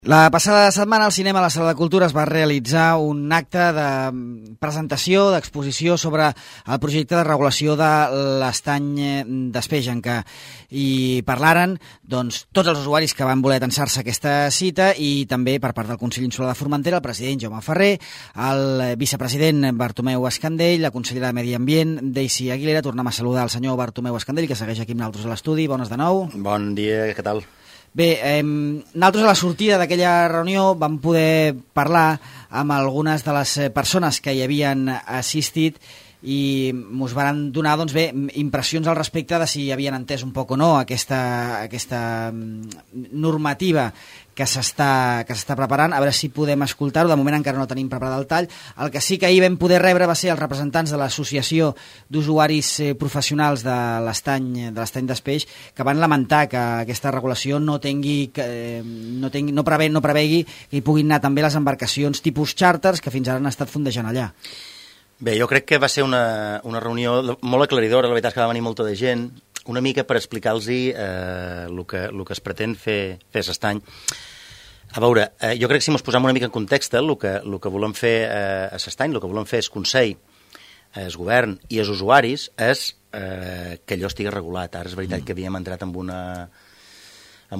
La passada setmana al cinema a la Sala de Cultura es va realitzar un acte de presentació, d'exposició sobre el projecte de regulació de l'estany d'Espejanca. I parlaren tots els usuaris que van voler tensar-se aquesta cita i també per part del Consell Insular de Formentera, el president Jaume Ferrer, el vicepresident Bartomeu Escandell, la consellera de Medi Ambient, Daisy Aguilera. Tornem a saludar el senyor Bartomeu Escandell, que segueix aquí amb nosaltres a l'estudi. Bones de nou. Bon dia, què tal? Bé, nosaltres a la sortida d'aquella reunió vam poder parlar amb algunes de les persones que hi havien assistit i ens van donar impressions al respecte de si havien entès un poc o no aquesta normativa que s'està preparant. A veure si podem escoltar-ho. De moment encara no tenim preparat el tall. El que sí que ahir vam poder rebre va ser els representants de l'Associació d'Usuaris Professionals de l'estany d'Espeix, que van lamentar que aquesta regulació no prevegui que hi puguin anar també les embarcacions tipus xàrters que fins ara han estat fondejant allà. Bé, jo crec que va ser una reunió molt aclaridora. La veritat és que va venir molta de gent, una mica per explicar-los el que es pretén fer a l'estany. A veure, jo crec que si ens posem una mica en context, el que volem fer a l'estany, el que volem fer és Consell, el govern i els usuaris, és que allò estigui regulat. Ara és veritat que havíem entrat amb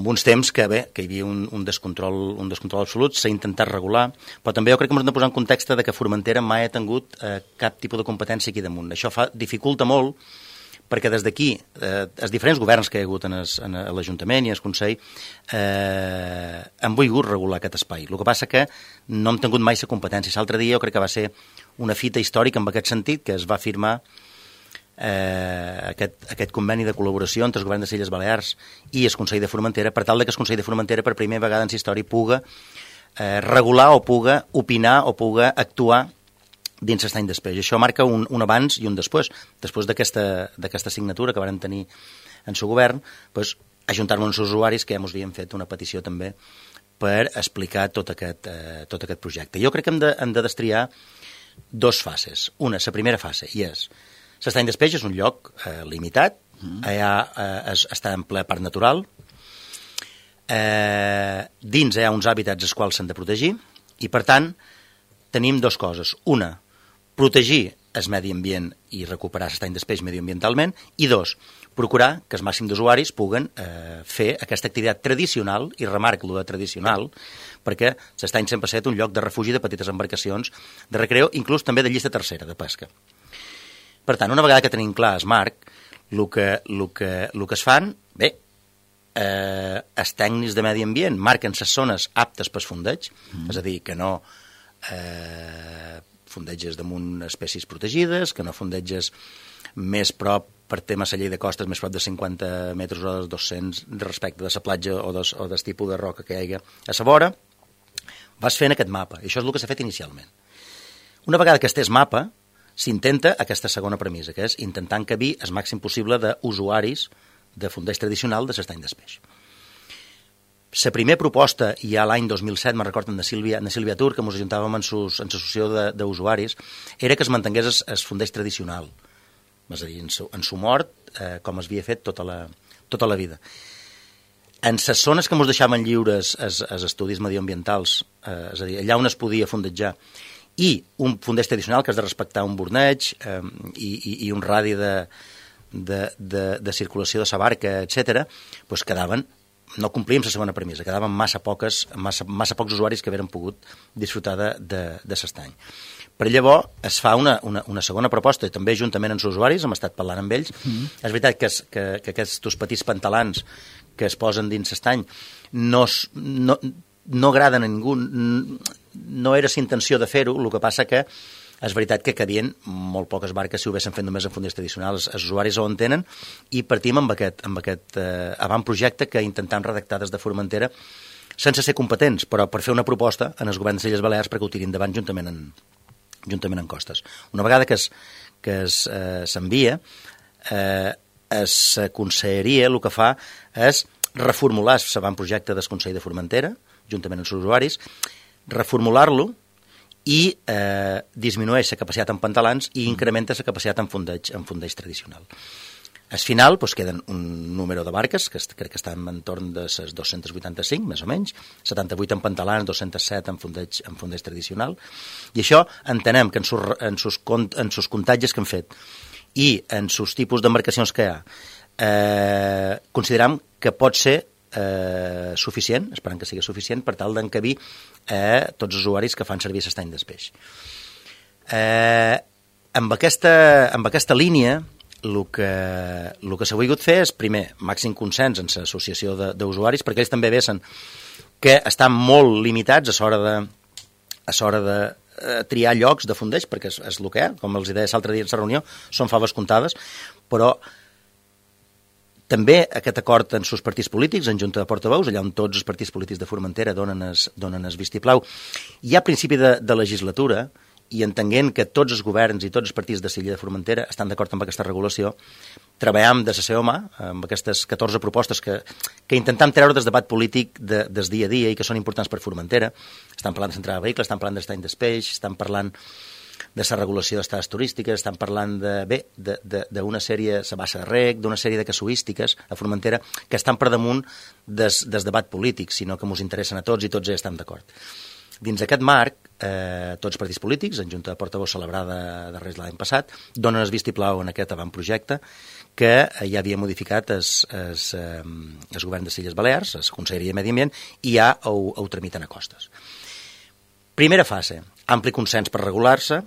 uns temps que hi havia un descontrol absolut, s'ha intentat regular, però també jo crec que hem de posar en context que Formentera mai ha tingut cap tipus de competència aquí damunt. Això dificulta molt, perquè des d'aquí, els diferents governs que hi ha hagut a l'Ajuntament i al Consell han volgut regular aquest espai. El que passa que no hem tingut mai la competència. L'altre dia jo crec que va ser una fita històrica en aquest sentit, que es va firmar aquest conveni de col·laboració entre el govern de les Illes Balears i el Consell de Formentera, per tal que el Consell de Formentera per primera vegada en la història puga regular o puga opinar o puga actuar dins l'estany d'Espeix. Això marca un abans i un després. Després d'aquesta signatura que varen tenir en el govern, ajuntar-nos amb els usuaris, que ja ens havien fet una petició també per explicar tot aquest projecte. Jo crec que hem de destriar dues fases. Una, la primera fase, i és l'estany d'Espeix és un lloc limitat, allà està en ple parc natural, dins hi ha uns hàbitats els quals s'han de protegir, i per tant tenim dues coses. Una, protegir el medi ambient i recuperar l'estany d'Espeix mediambientalment, i dos, procurar que el màxim d'usuaris puguen fer aquesta activitat tradicional, i remarco de tradicional, perquè l'estany sempre ha estat un lloc de refugi de petites embarcacions, de recreo, inclús també de llista tercera, de pesca. Per tant, una vegada que tenim clar el marc, el que es fan, bé, els tècnics de medi ambient marquen les zones aptes per fondeig, és a dir, que no fondeges damunt espècies protegides, que no fondeges més prop per temes a llei de costes, més prop de 50 metres o de 200 respecte de la platja o del tipus de roca que hi hagi a la vora, vas fent aquest mapa. I això és el que s'ha fet inicialment. Una vegada que es té el mapa, s'intenta aquesta segona premissa, que és intentar encabir el màxim possible d'usuaris de fondeig tradicional de l'estany d'Espeix. La primera proposta, ja l'any 2007, me'n recordo, de Sílvia Tur, que ens ajuntàvem en l'associació d'usuaris, era que es mantingués el fondeig tradicional, és a dir, en su mort, com es havia fet tota la vida. En les zones que ens deixaven lliures els estudis mediambientals, és a dir, allà on es podia fondejar, i un fondeig tradicional que has de respectar un borneig i un radi de circulació de la barca, etc., quedaven, no complíem la segona premissa, quedaven massa pocs usuaris que hagueren pogut disfrutar de l'estany. Per llavors es fa una segona proposta, i també juntament amb els usuaris, hem estat parlant amb ells. És veritat que aquests petits pantalans que es posen dins l'estany no agraden a ningú, no era la intenció de fer-ho, el que passa que és veritat que cadien molt poques barques si ho haguessin fet només en fondeig tradicionals. Els usuaris ho entenen i partim amb aquest avantprojecte que intentem redactar des de Formentera sense ser competents, però per fer una proposta en els governs de les Illes Balears perquè ho tirin endavant juntament en costes. Una vegada que s'envia, la conselleria el que fa és reformular l'avantprojecte del Consell de Formentera, juntament amb els usuaris, reformular-lo i disminueix la capacitat en pantalans i incrementa la capacitat en fondeig tradicional. Al final queden un número de barques, que crec que estan en torn de les 285, més o menys, 78 en pantalans, 207 en fondeig tradicional, i això entenem que en sus comptatges que hem fet i en sus tipus d'embarcacions que hi ha, consideram que pot ser suficient, esperant que sigui suficient, per tal d'encabir tots els usuaris que fan servir l'estany d'espeix. Amb aquesta línia, el que s'ha volgut fer és, primer, màxim consens en l'associació d'usuaris, perquè ells també veuen que estan molt limitats a l'hora de triar llocs de fondeig, perquè és el que hi ha, com els deia l'altre dia en la reunió, són faves comptades, però també aquest acord en els partits polítics, en Junta de Portaveus, allà on tots els partits polítics de Formentera donen el vistiplau, hi ha principi de legislatura, i entenent que tots els governs i tots els partits de l'illa de Formentera estan d'acord amb aquesta regulació, treballem de la seva mà amb aquestes 14 propostes que intentem treure del debat polític del dia a dia i que són importants per Formentera. Estan parlant de centrada de vehicles, estan parlant d'estany d'espeix, estan parlant de la regulació d'estades turístiques, estan parlant d'una sèrie, la bassa de rec, d'una sèrie de casuístiques a Formentera que estan per damunt del debat polític, sinó que ens interessen a tots i tots estem d'acord. Dins aquest marc, tots els partits polítics, en Junta de Portaveus celebrada de Reis l'any passat, donen el vistiplau en aquest avantprojecte que ja havia modificat el govern de Illes Balears, la Conselleria de Medi Ambient, i ja ho tramiten a costes. Primera fase, ampli consens per regular-se,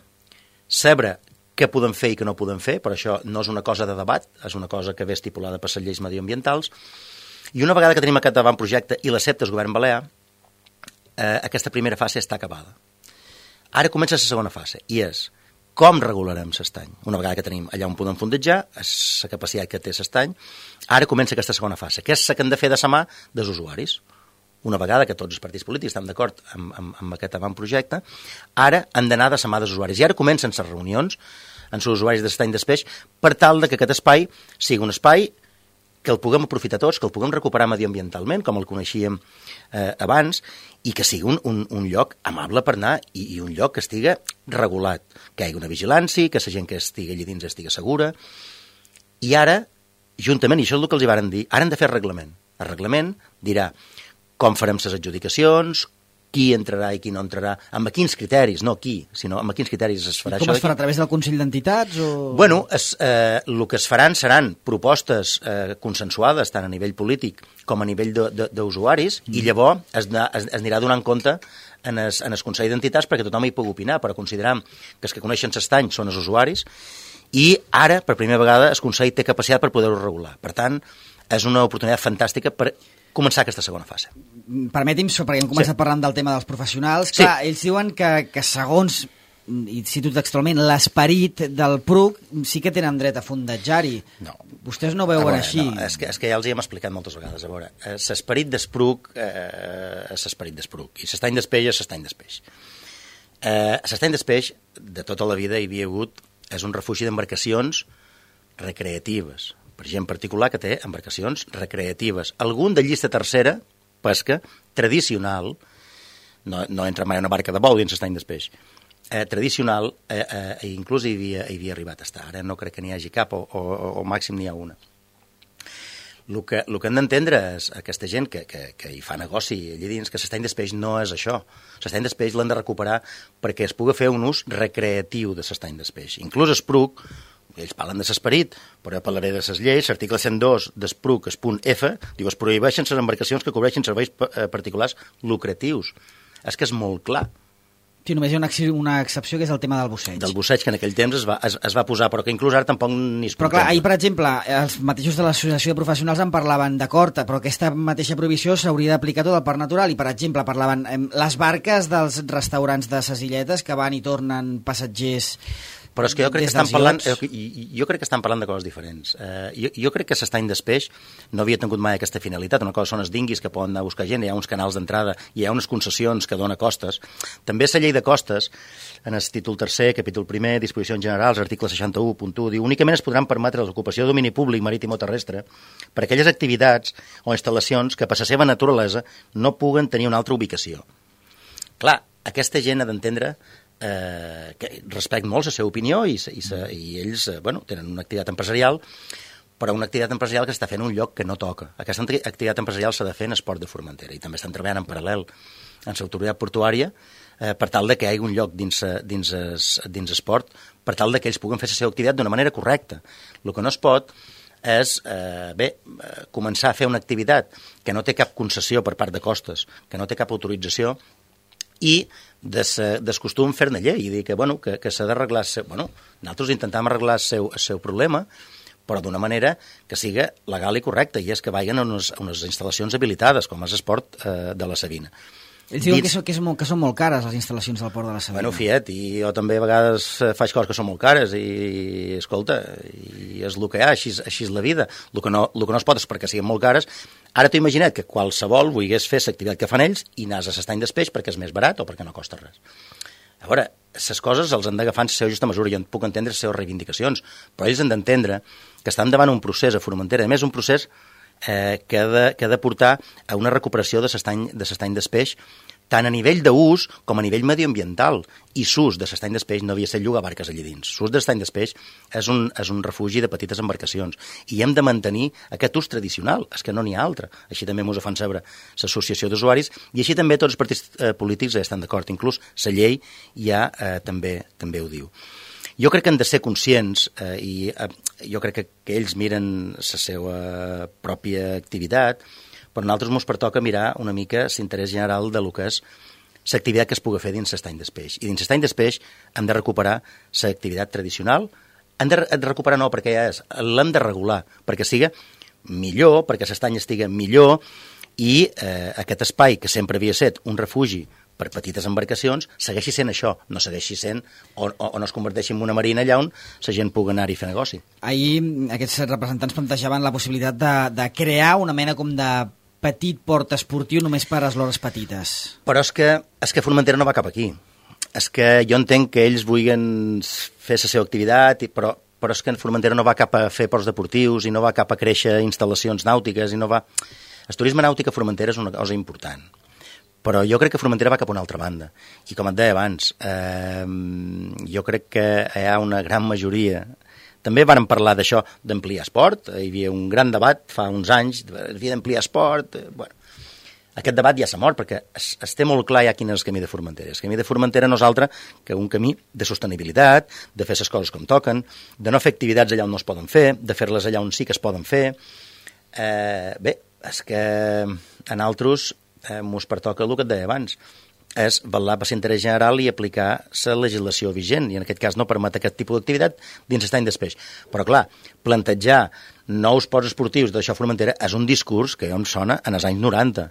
saber què podem fer i què no podem fer, però això no és una cosa de debat, és una cosa que ve estipulada per les lleis medioambientals, i una vegada que tenim aquest avantprojecte i l'accepta el govern balear, aquesta primera fase està acabada. Ara comença la segona fase, i és com regularem l'estany. Una vegada que tenim allà on podem fondejar, la capacitat que té l'estany, ara comença aquesta segona fase, que és la que hem de fer de la mà dels usuaris. Una vegada que tots els partits polítics estan d'acord amb aquest avantprojecte, ara han d'anar de la mà dels usuaris. I ara comencen les reunions amb els usuaris de l'estany d'espeix per tal que aquest espai sigui un espai que el puguem aprofitar tots, que el puguem recuperar mediambientalment, com el coneixíem abans, i que sigui un lloc amable per anar i un lloc que estigui regulat, que hi hagi una vigilància, que la gent que estigui allà dins estigui segura. I ara, juntament, i això és el que els hi varen dir, ara hem de fer el reglament. El reglament dirà com farem les adjudicacions, qui entrarà i qui no entrarà, amb quins criteris, no qui, sinó amb quins criteris es farà això. Com es farà, a través del Consell d'Entitats? Bueno, el que es faran seran propostes consensuades tant a nivell polític com a nivell d'usuaris i llavors es anirà donant compte en el Consell d'Entitats perquè tothom hi pugui opinar, però consideram que els que coneixen l'estany són els usuaris i ara, per primera vegada, el Consell té capacitat per poder-ho regular. Per tant, és una oportunitat fantàstica per començar aquesta segona fase. Permeti'm, perquè hem començat parlant del tema dels professionals. Sí. Clar, ells diuen que segons, i cito textualment, l'esperit del PRUC sí que tenen dret a fondejar-hi. No. Vostès no ho veuen així. No, és que ja els hi hem explicat moltes vegades. A veure, l'esperit d'Espruc és l'esperit d'Espruc i l'estany d'espeix és l'estany d'espeix. L'estany d'espeix, de tota la vida hi havia hagut, és un refugi d'embarcacions recreatives, per gent particular que té embarcacions recreatives. Algun de llista tercera, pesca, tradicional, no entra mai una barca de bou dins l'estany d'espeix, tradicional, inclús hi havia arribat a estar. Ara no crec que n'hi hagi cap, o màxim n'hi ha una. El que hem d'entendre és aquesta gent que hi fa negoci allà dins, que l'estany d'espeix no és això. L'estany d'espeix l'han de recuperar perquè es pugui fer un ús recreatiu de l'estany d'espeix. Inclús Espruc, ells parlen de l'esperit, però jo parlaré de les lleis. L'article 102 d'Espruc, es punt F, diu es prohibeixen les embarcacions que cobreixin serveis particulars lucratius. És que és molt clar. Sí, només hi ha una excepció, que és el tema del busseig. Del busseig, que en aquell temps es va posar, però que inclús ara tampoc ni es contempla. Però clar, ahir, per exemple, els mateixos de l'Associació de Professionals en parlaven d'acord, però aquesta mateixa prohibició s'hauria d'aplicar tot al parc natural, i per exemple parlaven les barques dels restaurants de ses illetes que van i tornen passatgers. Però és que jo crec que estan parlant de coses diferents. Jo crec que l'estany d'espeix no havia tingut mai aquesta finalitat. Una cosa són els dinguis que poden anar a buscar gent, hi ha uns canals d'entrada, hi ha unes concessions que dona costes. També la llei de costes, en el títol tercer, capítol primer, disposicions generals, article 61.1, diu únicament es podran permetre l'ocupació de domini públic, marítim o terrestre per a aquelles activitats o instal·lacions que per la seva naturalesa no puguen tenir una altra ubicació. Clar, aquesta gent ha d'entendre que respecten molt la seva opinió i ells tenen una activitat empresarial, però una activitat empresarial que s'està fent en un lloc que no toca. Aquesta activitat empresarial s'ha de fer en Esport de Formentera i també estan treballant en paral·lel en l'autoritat portuària per tal de que hi hagi un lloc dins esport, per tal de que ells puguen fer la seva activitat d'una manera correcta. El que no es pot és començar a fer una activitat que no té cap concessió per part de costes, que no té cap autorització, i descostum fer-ne llei i dir que s'ha d'arreglar... nosaltres intentem arreglar el seu problema, però d'una manera que sigui legal i correcta, i és que vagin a unes instal·lacions habilitades, com és Esport de la Savina. Ells diuen que són molt cares les instal·lacions del Port de la Savina. Fiat, i jo també a vegades faig coses que són molt cares i, escolta, i és el que hi ha, així és la vida. El que no es pot és perquè siguin molt cares. Ara t'ho imagina't que qualsevol volgués fer l'activitat que fan ells i anàs a l'estany d'espeix perquè és més barat o perquè no costa res. A veure, les coses els han d'agafar en la seva justa mesura. Jo puc entendre les seves reivindicacions, però ells han d'entendre que estan davant un procés a Formentera, a més un procés que ha de portar a una recuperació de l'estany d'espeix, tant a nivell d'ús com a nivell medioambiental. I l'ús de l'estany d'espeix no havia estat llogar barques allà dins. L'ús de l'estany d'espeix és un refugi de petites embarcacions i hem de mantenir aquest ús tradicional, és que no n'hi ha altre. Així també ens ho fan saber l'associació d'usuaris i així també tots els partits polítics ja estan d'acord. Inclús la llei ja també ho diu. Jo crec que han de ser conscients i jo crec que ells miren la seva pròpia activitat, però a nosaltres ens pertoca mirar una mica l'interès general de lo que és l'activitat que es pugui fer dins l'estany d'espeix. I dins l'estany d'espeix hem de recuperar l'activitat tradicional. Hem de recuperar no perquè ja és, l'hem de regular, perquè sigui millor, perquè l'estany estigui millor i aquest espai que sempre havia estat un refugi per petites embarcacions, segueixi sent això, no segueixi sent o no es converteixi en una marina allà on la gent pugui anar-hi a fer negoci. Ahir aquests representants plantejaven la possibilitat de crear una mena com de petit port esportiu només per a eslores petites. Però és que Formentera no va cap aquí. És que jo entenc que ells vulguin fer la seva activitat, però és que Formentera no va cap a fer ports deportius i no va cap a créixer instal·lacions nàutiques i no va... El turisme nàutic a Formentera és una cosa important. Però jo crec que Formentera va cap a una altra banda. I com et deia abans, jo crec que hi ha una gran majoria... També vàrem parlar d'això, d'ampliar esport. Hi havia un gran debat fa uns anys, havia d'ampliar esport. Aquest debat ja s'ha mort, perquè es té molt clar ja quin és el camí de Formentera. El camí de Formentera no és altre que un camí de sostenibilitat, de fer les coses com toquen, de no fer activitats allà on no es poden fer, de fer-les allà on sí que es poden fer. Bé, és que a nosaltres ens pertoca el que et deia abans, és vetllar per l'interès general i aplicar la legislació vigent, i en aquest cas no permet aquest tipus d'activitat dins l'estany d'espeix. Però clar, plantejar nous ports esportius d'això a Formentera és un discurs que em sona en els anys 90.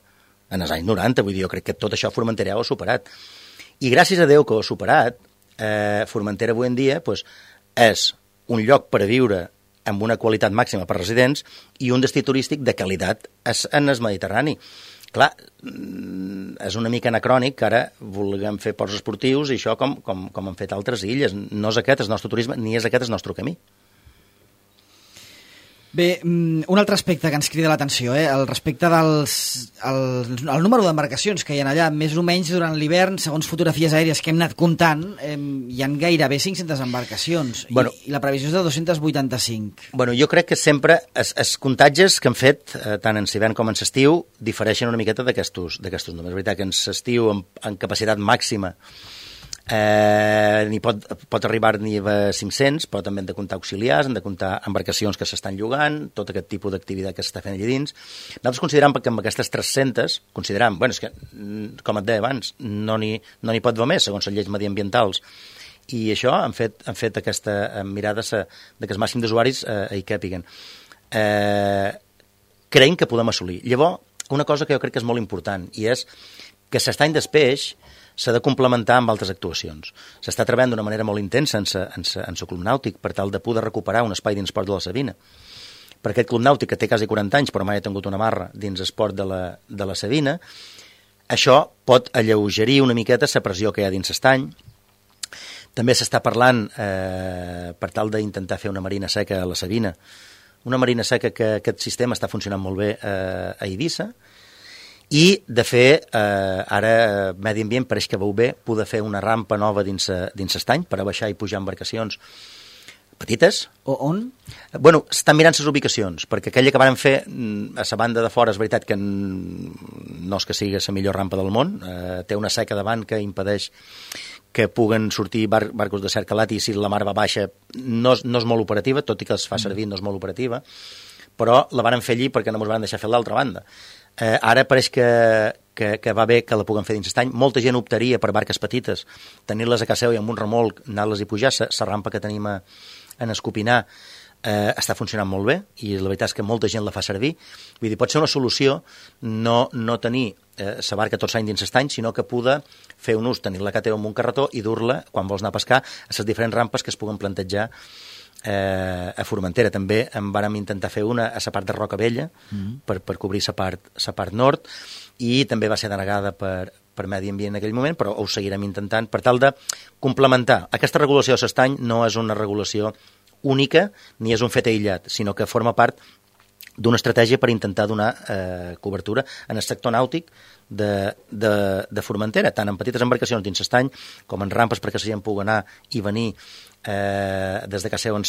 En els anys 90, vull dir, jo crec que tot això a Formentera ho ha superat. I gràcies a Déu que ho ha superat, Formentera avui en dia és un lloc per a viure amb una qualitat màxima per residents i un destí turístic de qualitat en el Mediterrani. Clar, és una mica anacrònic que ara vulguem fer ports esportius i això com han fet altres illes. No és aquest el nostre turisme, ni és aquest el nostre camí. Bé, un altre aspecte que ens crida l'atenció, el respecte el número d'embarcacions que hi ha allà, més o menys durant l'hivern, segons fotografies aèries que hem anat comptant, hi ha gairebé 500 embarcacions, i la previsió és de 285. Jo crec que sempre els comptatges que han fet, tant en l'hivern com en l'estiu, difereixen una miqueta d'aquestos números. És veritat que en l'estiu, en capacitat màxima, ni pot arribar ni a 500, però també hem de comptar auxiliars, hem de comptar embarcacions que s'estan llogant, tot aquest tipus d'activitat que s'està fent allà dins. Nosaltres considerem que amb aquestes 300, és que, com et deia abans, no n'hi pot haver més, segons les lleis mediambientals. I això han fet aquesta mirada de que el màxim d'usuaris hi càpiguen. Creiem que podem assolir. Llavors, una cosa que jo crec que és molt important, i és que l'estany d'espeix s'ha de complementar amb altres actuacions. S'està treballant d'una manera molt intensa en el club nàutic per tal de poder recuperar un espai dins Port de la Savina. Per aquest club nàutic que té quasi 40 anys però mai ha tingut una marra dins esport de la Savina, això pot alleugerir una miqueta la pressió que hi ha dins l'estany. També s'està parlant per tal d'intentar fer una marina seca a la Savina, una marina seca que aquest sistema està funcionant molt bé a Eivissa, i de fer, ara Medi Ambient pareix que veu bé poder fer una rampa nova dins l'estany per a baixar i pujar embarcacions petites. O on? Bueno, estan mirant les ubicacions, perquè aquella que van fer a la banda de fora és veritat que no és que sigui la millor rampa del món, té una seca davant que impedeix que puguen sortir barcos de cert calat, i si la mar va baixa no és molt operativa, tot i que es fa servir no és molt operativa, però la van fer allí perquè no ens van deixar fer l'altra banda. Ara pareix que va bé que la puguem fer dins l'estany. Molta gent optaria per barques petites, tenir-les a casa seu i amb un remolc anar-les i pujar. La rampa que tenim en Escopinar està funcionant molt bé, i la veritat és que molta gent la fa servir. Vull dir, pot ser una solució no tenir la barca tots l'any dins l'estany, sinó que poder fer un ús, tenir-la a casa teva amb un carretó i dur-la, quan vols anar a pescar, a les diferents rampes que es puguen plantejar a Formentera. També en vàrem intentar fer una a la part de Roca Vella per cobrir la part nord, i també va ser denegada per Medi Ambient en aquell moment, però ho seguirem intentant per tal de complementar. Aquesta regulació de l'estany no és una regulació única ni és un fet aïllat, sinó que forma part d'una estratègia per intentar donar cobertura en el sector nàutic de Formentera, tant en petites embarcacions dins l'estany com en rampes perquè la gent pugui anar i venir des de casa seu en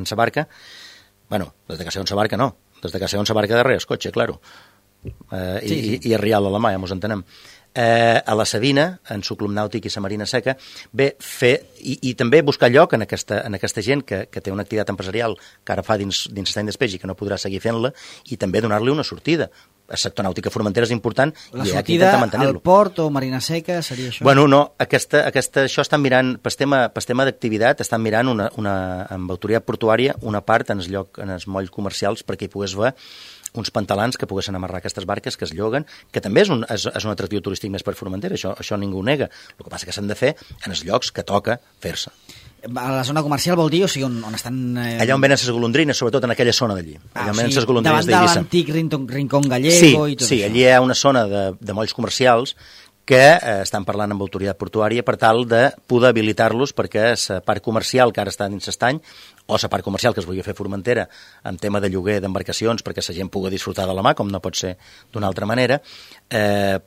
sa barca. Bueno, des de casa seu en sa barca no, des de casa seu en sa barca darrere el cotxe, claro. I a Rial a la mà, ja mos entenem. A la Sabina, en su club nàutic i la Marina Seca, bé, fer i també buscar lloc en aquesta gent que té una activitat empresarial que ara fa dins l'estany d'espeix i que no podrà seguir fent-la, i també donar-li una sortida. El sector nàutic a Formentera és important, la i aquí intenta al mantenir-lo. port o Marina Seca seria això? Bueno, no, això estan mirant, per tema d'activitat, estan mirant amb autoritat portuària una part en els molls comercials perquè hi pogués haver uns pantalans que poguessin amarrar aquestes barques que es lloguen, que també és un atractiu turístic més per Formentera, això ningú ho nega. El que passa que s'han de fer en els llocs que toca fer-se. A la zona comercial vol dir, o sigui, on estan... Allà on venen les golondrines, sobretot en aquella zona d'allí. Allà on venen les golondrines d'Eivissa. Davant de l'antic Rincón Gallego i tot això. Sí, allí hi ha una zona de molls comercials que estan parlant amb autoritat portuària per tal de poder habilitar-los perquè la part comercial que ara està dins l'estany, o la part comercial que es vulgui fer Formentera en tema de lloguer d'embarcacions perquè la gent pugui disfrutar de la mà, com no pot ser d'una altra manera,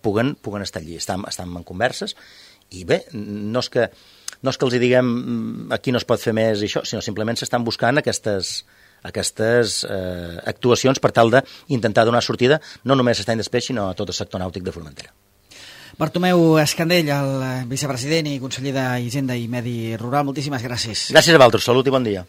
puguen estar allí. Estan en converses, i bé, no és que els diguem aquí no es pot fer més i això, sinó simplement s'estan buscant aquestes actuacions per tal d'intentar donar sortida no només a l'estany d'espeix, sinó a tot el sector nàutic de Formentera. Bartomeu Escandell, el vicepresident i conseller d'Hisenda i Medi Rural, moltíssimes gràcies. Gràcies a vosaltres, salut i bon dia.